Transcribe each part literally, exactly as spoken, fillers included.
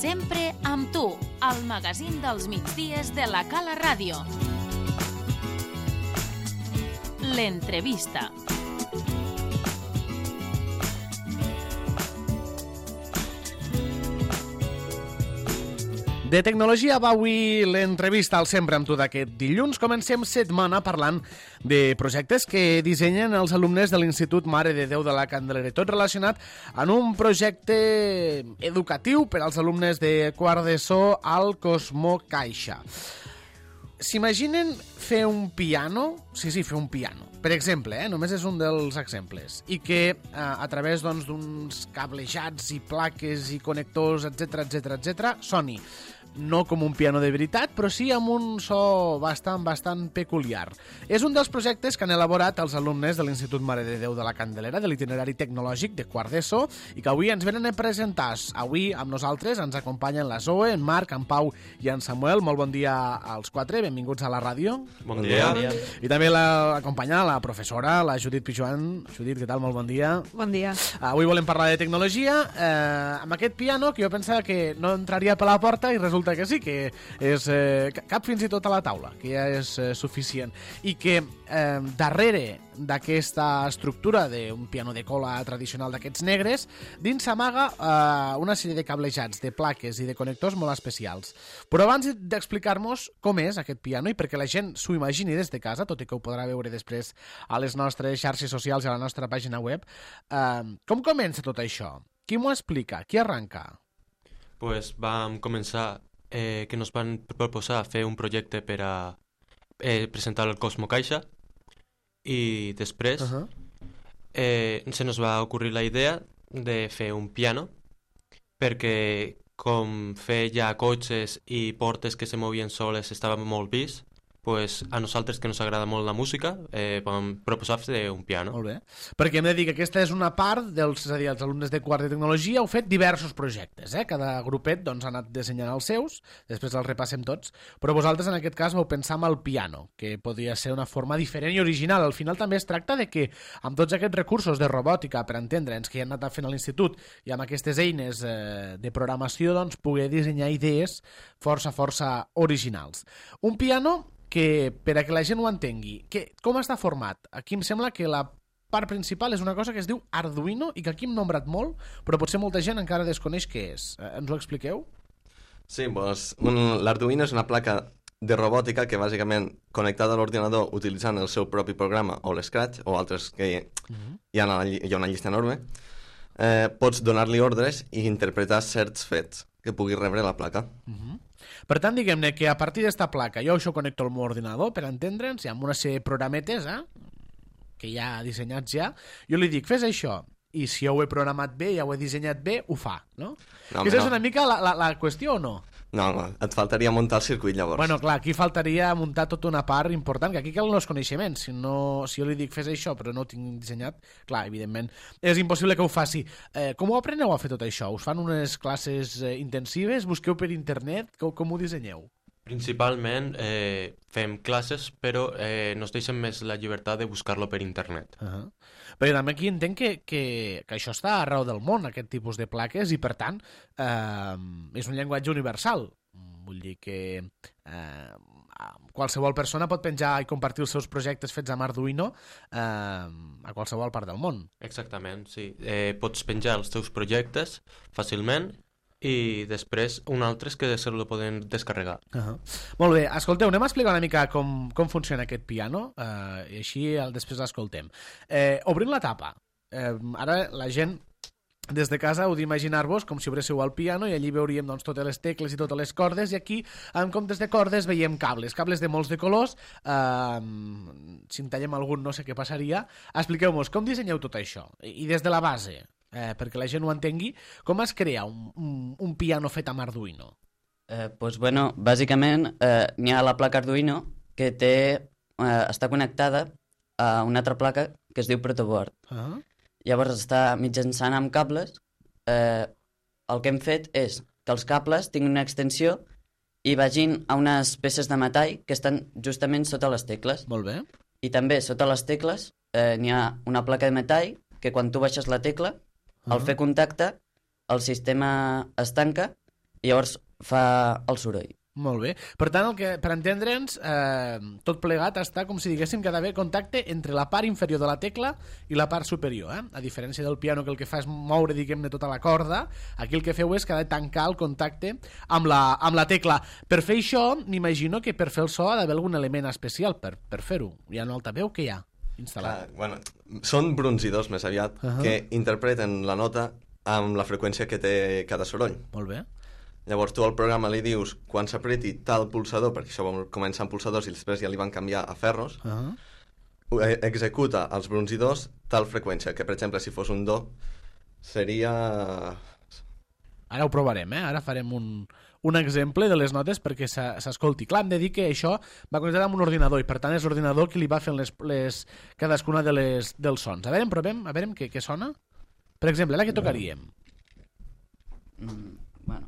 Sempre amb tu, al magazín dels migdies de la Cala Ràdio. L'entrevista. De tecnologia va avui l'entrevista al Sempre amb tu d'aquest dilluns. Comencem setmana parlant de projectes que dissenyen els alumnes de l'Institut Mare de Déu de la Candelera. Tot relacionat en un projecte educatiu per als alumnes de quart d'ESO al Cosmo Caixa. S'imaginen fer un piano? Sí, sí, fer un piano. Per exemple, eh, només és un dels exemples. I que eh, a través doncs, d'uns cablejats i plaques i connectors, etc etc etc, soni no com un piano de veritat, però sí amb un so bastant, bastant peculiar. És un dels projectes que han elaborat els alumnes de l'Institut Mare de Déu de la Candelera, de l'itinerari tecnològic de quart d'ESO, i que avui ens venen a presentar. Avui amb nosaltres ens acompanyen la Zoe, en Marc, en Pau i en Samuel. Molt bon dia als quatre, benvinguts a la ràdio. Bon dia. Bon dia. I també l'acompanya la professora, la Judit Pijuan. Judit, què tal? Molt bon dia. Bon dia. Avui volem parlar de tecnologia, eh, amb aquest piano que jo pensava que no entraria per la porta i resulta que sí, que és eh, cap fins i tot a la taula, que ja és eh, suficient. I que eh, darrere d'aquesta estructura d'un piano de cola tradicional d'aquests negres, dins s'amaga eh, una sèrie de cablejats, de plaques i de connectors molt especials. Però abans d'explicar-nos com és aquest piano i perquè la gent s'ho imagini des de casa, tot i que ho podrà veure després a les nostres xarxes socials i a la nostra pàgina web, eh, com comença tot això? Qui m'ho explica? Qui arranca? Pues vam començar eh, que nos van proposar fer un projecte per a eh, presentar el Cosmo Caixa i després uh -huh. eh, se nos va ocorrir la idea de fer un piano perquè com fer ja cotxes i portes que se movien soles estava molt vist, pues a nosaltres que ens agrada molt la música eh, vam proposar fer un piano. Molt bé, perquè hem de dir que aquesta és una part dels, és a dir, els alumnes de quart de tecnologia heu fet diversos projectes, eh? Cada grupet doncs, ha anat dissenyant els seus, després els repassem tots, però vosaltres en aquest cas vau pensar en el piano, que podria ser una forma diferent i original. Al final també es tracta de que amb tots aquests recursos de robòtica, per entendre'ns, que hi han anat fent a l'institut i amb aquestes eines eh, de programació, doncs poder dissenyar idees força, força originals. Un piano que, per a que la gent ho entengui, que, com està format? Aquí em sembla que la part principal és una cosa que es diu Arduino i que aquí hem nombrat molt, però potser molta gent encara desconeix què és. Eh, ens ho expliqueu? Sí, doncs, l'Arduino és una placa de robòtica que bàsicament connectada a l'ordinador utilitzant el seu propi programa o l'Scratch o altres que uh-huh. hi, ha una, hi ha una llista enorme, eh, pots donar-li ordres i interpretar certs fets que pugui rebre la placa. Uh-huh. Per tant, diguem-ne que a partir d'esta placa jo això connecto al meu ordinador, per entendre'ns, i amb una sèrie de programetes eh, que ja dissenyats ja, jo li dic, fes això, i si jo ho he programat bé, ja ho he dissenyat bé, ho fa, no? no Aquesta no. és una mica la, la, la qüestió o no? No, no, et faltaria muntar el circuit llavors. Bueno, clar, aquí faltaria muntar tota una part important, que aquí calen els coneixements. Si, no, si jo li dic fes això però no ho tinc dissenyat, clar, evidentment, és impossible que ho faci. Eh, com ho apreneu a fer tot això? Us fan unes classes eh, intensives? Busqueu per internet? Com, com ho dissenyeu? Principalment eh, fem classes, però eh, nos deixen més la llibertat de buscar-lo per internet. Uh -huh. Perquè també aquí entenc que, que, que això està arreu del món, aquest tipus de plaques, i per tant eh, és un llenguatge universal. Vull dir que eh, qualsevol persona pot penjar i compartir els seus projectes fets amb Arduino eh, a qualsevol part del món. Exactament, sí. Eh, pots penjar els teus projectes fàcilment i després un altre és que se lo poden descarregar. Uh -huh. Molt bé, escolteu, anem a explicar una mica com, com funciona aquest piano eh, i així el, després l'escoltem. Eh, obrim la tapa. Eh, ara la gent des de casa heu d'imaginar-vos com si obréssiu el piano i allí veuríem doncs, totes les tecles i totes les cordes, i aquí en comptes de cordes veiem cables, cables de molts de colors. Eh, si en tallem algun no sé què passaria. Expliqueu-nos com dissenyeu tot això i des de la base, eh, perquè la gent ho entengui, com es crea un, un, un piano fet amb Arduino? Eh, pues bueno, bàsicament eh, n'hi ha la placa Arduino que té, eh, està connectada a una altra placa que es diu protoboard. Uh-huh. Llavors està mitjançant amb cables. Eh, el que hem fet és que els cables tinguin una extensió i vagin a unes peces de metall que estan justament sota les tecles. Molt bé. I també sota les tecles eh, n'hi ha una placa de metall que quan tu baixes la tecla, uh-huh. al fer contacte, el sistema es tanca i llavors fa el soroll. Molt bé. Per tant, el que, per entendre'ns, eh, tot plegat està com si diguéssim que ha d'haver contacte entre la part inferior de la tecla i la part superior. Eh? A diferència del piano, que el que fa és moure, diguem-ne, tota la corda, aquí el que feu és que ha de tancar el contacte amb la, amb la tecla. Per fer això, m'imagino que per fer el so ha d'haver algun element especial per, per fer-ho. Hi ha un altaveu que hi ha instal·lat. Ah, bueno, són brunzidors, més aviat, uh -huh. que interpreten la nota amb la freqüència que té cada soroll. Molt bé. Llavors tu al programa li dius quan s'apreti tal pulsador, perquè això va començar amb pulsadors i després ja li van canviar a ferros, uh -huh. executa els brunzidors tal freqüència, que per exemple si fos un do seria... Ara ho provarem, eh? Ara farem un, un exemple de les notes perquè s'escolti. Clar, hem de dir que això va connectat amb un ordinador i per tant és l'ordinador qui li va fent les, les, cadascuna de les, dels sons. A veure, provem, a veure què, què sona. Per exemple, ara què tocaríem? Mm, bueno...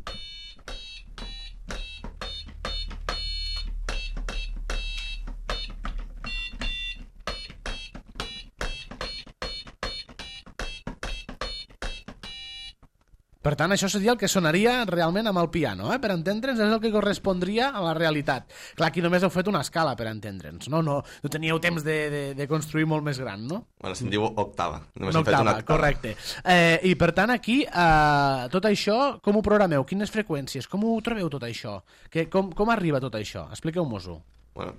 Per tant, això seria el que sonaria realment amb el piano, eh? Per entendre'ns, és el que correspondria a la realitat. Clar, aquí només heu fet una escala, per entendre'ns, no? No, no teníeu temps de, de, de construir molt més gran, no? Bueno, se'n diu octava. Només una hem fet octava, una octava. Correcte. Eh, I per tant, aquí, eh, tot això, com ho programeu? Quines freqüències? Com ho trobeu tot això? Que, com, com arriba tot això? Expliqueu-mos-ho. Bueno,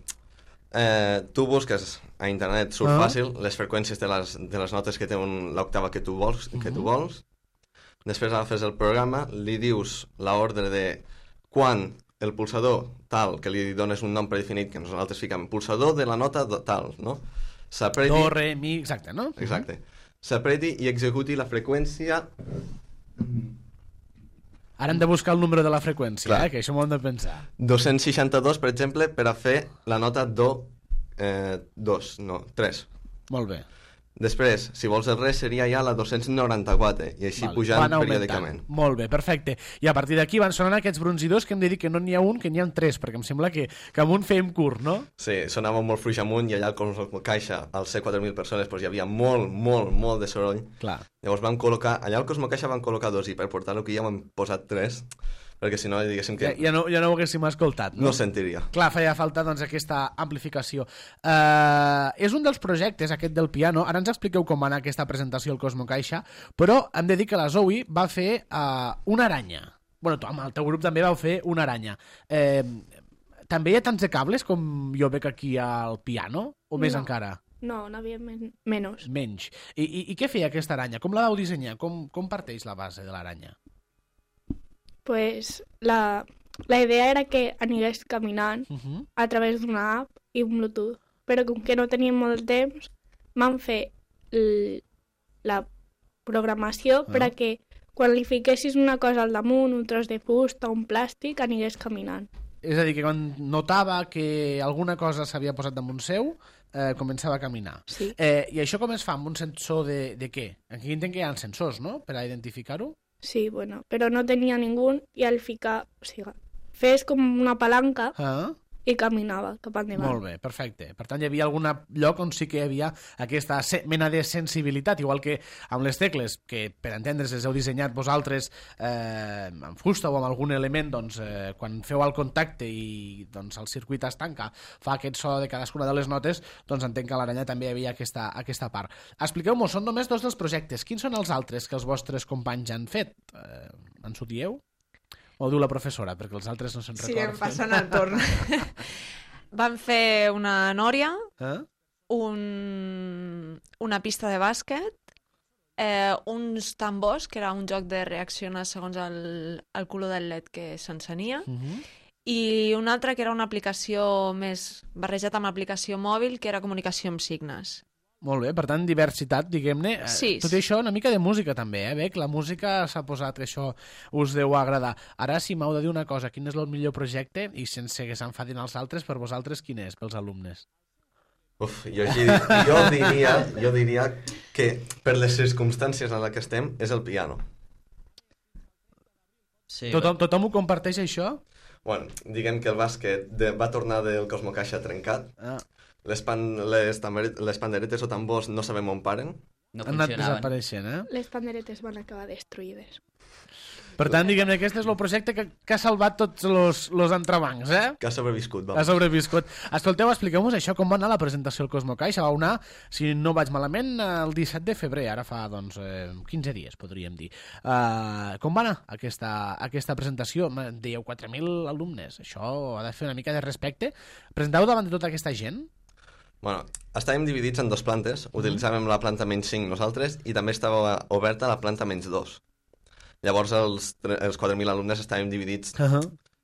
eh, tu busques a internet, surt Ah. fàcil, les freqüències de les, de les notes que té un- l'octava que tu vols, que tu vols. Després agafes el programa, li dius l'ordre de quan el pulsador tal, que li dones un nom predefinit, que nosaltres fiquem pulsador de la nota do- tal, no? S'apreti... Do, re, mi, exacte, no? Exacte. S'apreti i executi la freqüència... Ara hem de buscar el número de la freqüència, Clar. eh? Que això m'ho hem de pensar. dos-cents seixanta-dos, per exemple, per a fer la nota do eh, dos, no, tres. Molt bé. Després, si vols el res, seria ja la dos-cents noranta-quatre, i així Val, pujant van augmentant. periòdicament. Molt bé, perfecte. I a partir d'aquí van sonant aquests brunzidors que hem de dir que no n'hi ha un, que n'hi ha tres, perquè em sembla que, que amb un fèiem curt, no? Sí, sonava molt fluix amunt, i allà al Cosmo Caixa, al C quatre mil persones, doncs hi havia molt, molt, molt de soroll. Clar. Llavors vam col·locar, allà al Cosmo Caixa van col·locar dos, i per portar-lo aquí ja ho hem posat tres, perquè si no, diguéssim que Ja, ja, no, ja no ho haguéssim escoltat, no? no sentiria. Clar, feia falta doncs, aquesta amplificació. Uh, és un dels projectes, aquest del piano. Ara ens expliqueu com va anar aquesta presentació al Cosmo Caixa, però hem de dir que la Zoe va fer uh, una aranya. Bueno, tu amb el teu grup també vau fer una aranya. Eh, també hi ha tants de cables com jo veig aquí al piano? O més No. encara? No, n'havia men menys. Menys. I, i, I què feia aquesta aranya? Com la vau dissenyar? Com, com parteix la base de l'aranya? Pues la, la idea era que anigués caminant Uh -huh. a través d'una app i un Bluetooth. Però com que no teníem molt temps, vam fer l- la programació Ah. per a que quan li fiquessis una cosa al damunt, un tros de fusta, un plàstic, anigués caminant. És a dir, que quan notava que alguna cosa s'havia posat damunt seu, eh, començava a caminar. Sí. Eh, I això com es fa? Amb un sensor de, de què? Aquí entenc que hi ha sensors, no?, per a identificar-ho. Sí, bueno, però no tenia ningú i al ficar, o sigui, fes com una palanca Ah, i caminava cap endavant. molt bé, perfecte. Per tant, hi havia algun lloc on sí que hi havia aquesta se- mena de sensibilitat, igual que amb les tecles, que per entendre's les heu dissenyat vosaltres eh, amb fusta o amb algun element, doncs, eh, quan feu el contacte i doncs, el circuit es tanca, fa aquest so de cadascuna de les notes, doncs entenc que a l'aranya també hi havia aquesta, aquesta part. Expliqueu-m'ho, són només dos dels projectes. Quins són els altres que els vostres companys han fet? Eh, ens ho dieu? O ho diu la professora, perquè els altres no se'n Sí, recorden. em passen el torn. Vam fer una nòria, Eh? un... una pista de bàsquet, eh, uns tambors, que era un joc de reaccionar segons el, el color del L E D que s'encenia, Uh -huh. i un altre que era una aplicació més barrejat amb aplicació mòbil, que era comunicació amb signes. Molt bé, per tant, diversitat, diguem-ne. Eh, Sí. Tot i això, una mica de música també, eh, Bec? La música s'ha posat, que això us deu agradar. Ara, si m'heu de dir una cosa, quin és el millor projecte, i sense que s'enfadin els altres, per vosaltres, quin és, pels alumnes? Uf, jo, gi- jo, diria, jo diria que per les circumstàncies en les que estem és el piano. Sí, Tothom, tothom ho comparteix, això? Bueno, diguem que el bàsquet de, va tornar del Cosmo Caixa trencat. Ah, Les, pan, les, tambere- les panderetes o tambors no sabem on paren. no han anat funcionaven. desapareixent, eh? Les panderetes van acabar destruïdes. Per tant, diguem-ne, aquest és el projecte que, que ha salvat tots els, els entrebancs, eh? Que ha sobreviscut, va. Ha sobreviscut. Escolteu, expliqueu-nos això, com va anar la presentació al Cosmocaixa. Va anar, si no vaig malament, el disset de febrer, ara fa, doncs, eh, quinze dies, podríem dir. Uh, com va anar aquesta, aquesta presentació? Dèieu quatre mil alumnes. Això ha de fer una mica de respecte. Presenteu davant de tota aquesta gent? Bueno, estàvem dividits en dos plantes. Utilitzàvem la planta menys cinc nosaltres i també estava oberta la planta menys dos. Llavors els, els quatre mil alumnes estàvem dividits, uh -huh.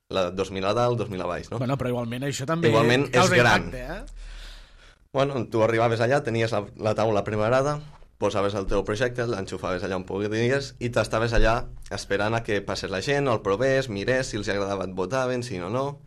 la dos mil a dalt, dos mil a baix, no? Bueno, però igualment això també igualment és gran. Impacte, eh? Bueno, tu arribaves allà, tenies la, la taula preparada, posaves el teu projecte, l'enxufaves allà on podies i t'estaves allà esperant a que passés la gent, o el provés, mirés, si els agradava et votaven, si no, no.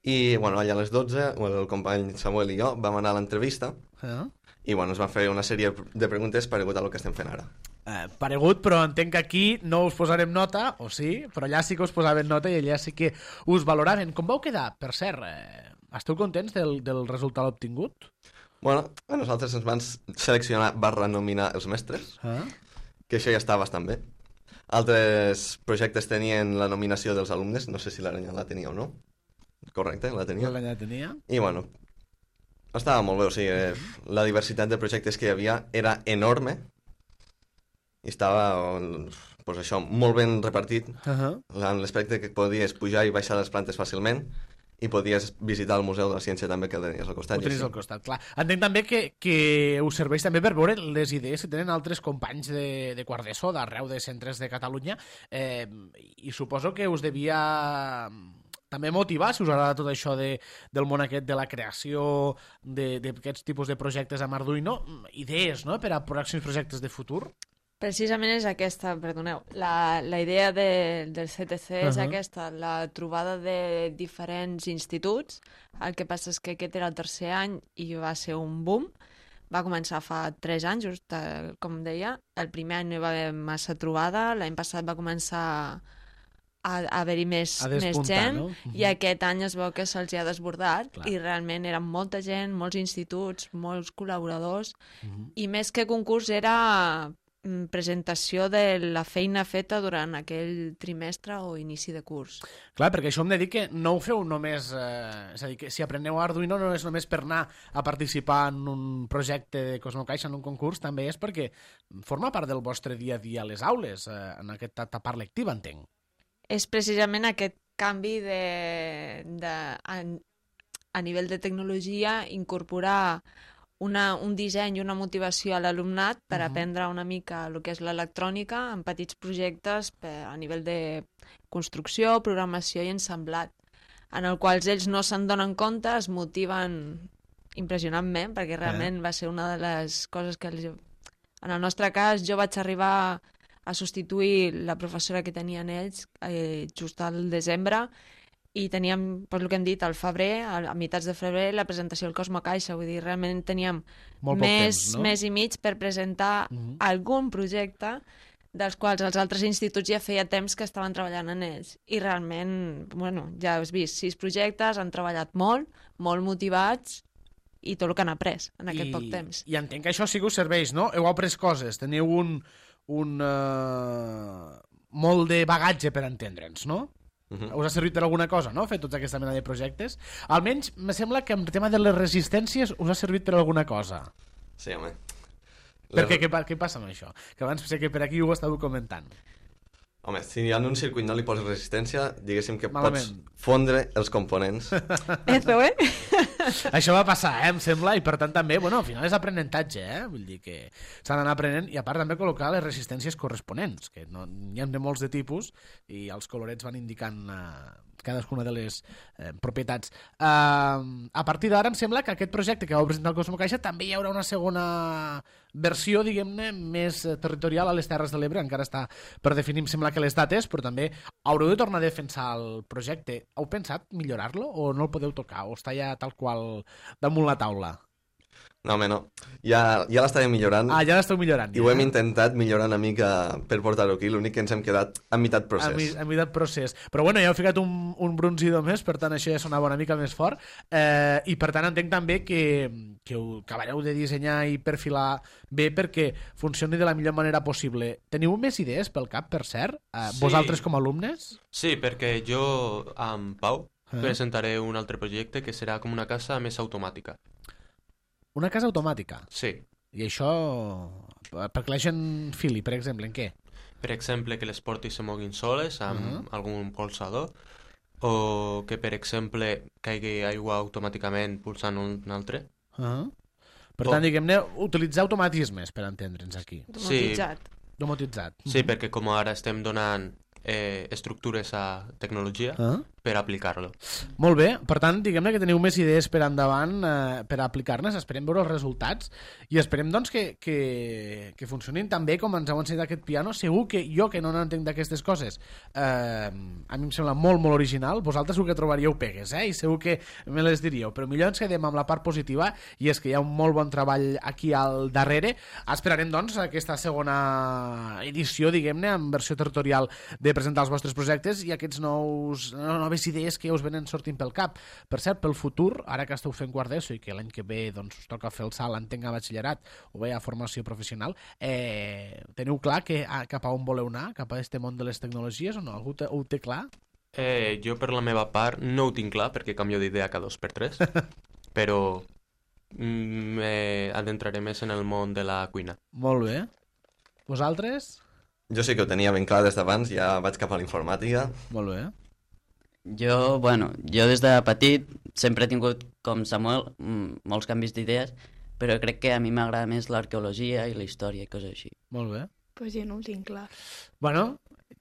I, bueno, allà a les dotze, el company Samuel i jo vam anar a l'entrevista uh -huh. i, bueno, ens van fer una sèrie de preguntes paregut a el que estem fent ara. Eh, paregut, però entenc que aquí no us posarem nota, o sí, però allà sí que us posaven nota i allà sí que us valoraven. Com vau quedar? Per cert, eh, esteu contents del, del resultat obtingut? Bueno, a nosaltres ens van seleccionar barra nominar els mestres, ah. que això ja està bastant bé. Altres projectes tenien la nominació dels alumnes, no sé si l'Aranya la tenia o no. Correcte, la tenia. L'Aranya la tenia. I bueno, estava molt bé, o sigui, la diversitat de projectes que hi havia era enorme, i estava, pues això, molt ben repartit, uh -huh. en l'aspecte que podies pujar i baixar les plantes fàcilment i podies visitar el Museu de la Ciència també, que el tenies al costat. Ho tenies al costat, clar. Entenc també que, que us serveix també per veure les idees que tenen altres companys de, de quart d'ESO, d'arreu de centres de Catalunya, eh, i suposo que us devia també motivar, si us agrada tot això de, del món aquest de la creació d'aquests tipus de projectes amb Arduino, idees, no?, per a pròxims projectes de futur. Precisament és aquesta, perdoneu, la, la idea de, del C T C és uh -huh. aquesta, la trobada de diferents instituts. El que passa és que aquest era el tercer any i va ser un boom. Va començar fa tres anys, just, com deia. El primer any no hi va haver massa trobada, l'any passat va començar a, a haver-hi més, més gent, no? Uh-huh. I aquest any es veu que se'ls ha desbordat. Clar. I realment eren molta gent, molts instituts, molts col·laboradors, uh-huh. i més que concurs era presentació de la feina feta durant aquell trimestre o inici de curs. Clar, perquè això hem de dir que no ho feu només... Eh, és a dir, que si apreneu Arduino no és només per anar a participar en un projecte de Cosmocaixa, en un concurs, també és perquè forma part del vostre dia a dia a les aules, eh, en aquesta etapa lectiva, entenc. És precisament aquest canvi de, de, a, a nivell de tecnologia, incorporar Una, un disseny i una motivació a l'alumnat per uh -huh. aprendre una mica el que és l'electrònica en petits projectes per, a nivell de construcció, programació i ensamblat, en el quals ells no se'n donen compte, es motiven impressionantment, perquè realment eh. va ser una de les coses que... Els... En el nostre cas, jo vaig arribar a substituir la professora que tenien ells eh, just al desembre, i teníem, per el que hem dit, al febrer, a meitats de febrer, la presentació del Cosmocaixa. Vull dir, realment teníem més, temps, no? més i mig per presentar uh-huh. algun projecte dels quals els altres instituts ja feia temps que estaven treballant en ells. I realment, bueno, ja has vist, sis projectes, han treballat molt, molt motivats, i tot el que han après en aquest I, poc temps. I entenc que això sí que us serveix, no? Heu après coses, teniu un, un uh, molt de bagatge per entendre'ns, no? Uh-huh. Us ha servit per alguna cosa, no?, fer tota aquesta mena de projectes. Almenys, me sembla que en el tema de les resistències us ha servit per alguna cosa. Sí, home. Perquè què, què passa amb això? Que abans sé que per aquí ho estàveu comentant. Home, si en un circuit no li poses resistència, diguéssim que Malament. pots fondre els components. Eso, eh? Això va passar, eh, em sembla, i per tant també, bueno, al final és aprenentatge, eh? Vull dir que s'ha d'anar aprenent i a part també col·locar les resistències corresponents, que no, n'hi ha de molts de tipus i els colorets van indicant eh, cadascuna de les eh, propietats. Uh, a partir d'ara em sembla que aquest projecte que vau presentar al Cosmocaixa també hi haurà una segona versió, diguem-ne, més territorial a les Terres de l'Ebre, encara està per definir, em sembla que les dates, però també haureu de tornar a defensar el projecte. Heu pensat millorar-lo o no el podeu tocar? O està ja tal qual damunt la taula? No, home, no. Ja, ja l'estàvem millorant. Ah, ja l'esteu millorant. I ja. ho hem intentat millorar una mica per portar-ho aquí, l'únic que ens hem quedat a meitat procés. A, mi, a meitat procés. Però bueno, ja heu ficat un, un bronzidor més, per tant això ja sonava una mica més fort. Eh, I per tant entenc també que, que ho acabareu de dissenyar i perfilar bé perquè funcioni de la millor manera possible. Teniu més idees pel cap, per cert? Eh, Sí. Vosaltres com a alumnes? Sí, perquè jo amb Pau Eh? presentaré un altre projecte que serà com una casa més automàtica. Una casa automàtica. Sí. I això... Perquè la gent fili, per exemple, en què? Per exemple, que les portes se moguin soles amb uh -huh. algun polsador, o que, per exemple, caigui aigua automàticament pulsant un altre. Uh -huh. Per tant, Oh. diguem-ne, utilitzar automatismes per entendre'ns aquí. Domotitzat. Domotitzat. Sí, perquè com ara estem donant eh, estructures a tecnologia Ah. per aplicar-lo. Molt bé, per tant, diguem-ne que teniu més idees per endavant eh, per aplicar-ne, esperem veure els resultats i esperem doncs que, que, que funcionin tan bé com ens heu ensenyat aquest piano. Segur que jo, que no n'entenc d'aquestes coses, eh, a mi em sembla molt, molt original. Vosaltres segur que trobaríeu pegues, eh? I segur que me les diríeu, però millor ens quedem amb la part positiva i és que hi ha un molt bon treball aquí al darrere. Esperarem doncs aquesta segona edició, diguem-ne, en versió territorial de presentar els vostres projectes i aquests nous, noves idees que us venen sortint pel cap. Per cert, pel futur, ara que esteu fent quart d'ESO i que l'any que ve doncs, us toca fer el salt, entenc, a batxillerat o bé a formació professional, eh, teniu clar que, a, cap a on voleu anar? Cap a aquest món de les tecnologies o no? Algú te, ho té clar? Eh, jo, per la meva part, no ho tinc clar, perquè canvio d'idea cada dos per tres, però m'adentraré més en el món de la cuina. Molt bé. Vosaltres? Jo sí que ho tenia ben clar des d'abans, ja vaig cap a la informàtica. Molt bé. Jo, bueno, jo des de petit sempre he tingut, com Samuel, mm, molts canvis d'idees, però crec que a mi m'agrada més l'arqueologia i la història i coses així. Molt bé. Pues jo no ho tinc clar. Bueno,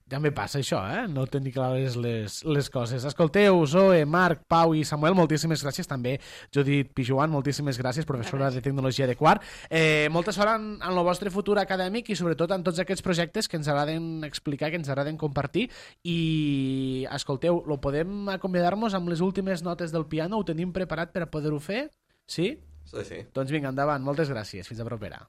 també passa això, eh? No tenir clares les, les coses. Escolteu, Zoe, Marc, Pau i Samuel, moltíssimes gràcies. També Judit Pijuan, moltíssimes gràcies, professora de Tecnologia de Quart. Eh, molta sort en, en el vostre futur acadèmic i sobretot en tots aquests projectes que ens agraden explicar, que ens agraden compartir. I, escolteu, lo podem acomiadar-nos amb les últimes notes del piano? Ho tenim preparat per a poder-ho fer? Sí? Sí, sí. Doncs vinga, endavant. Moltes gràcies. Fins a propera.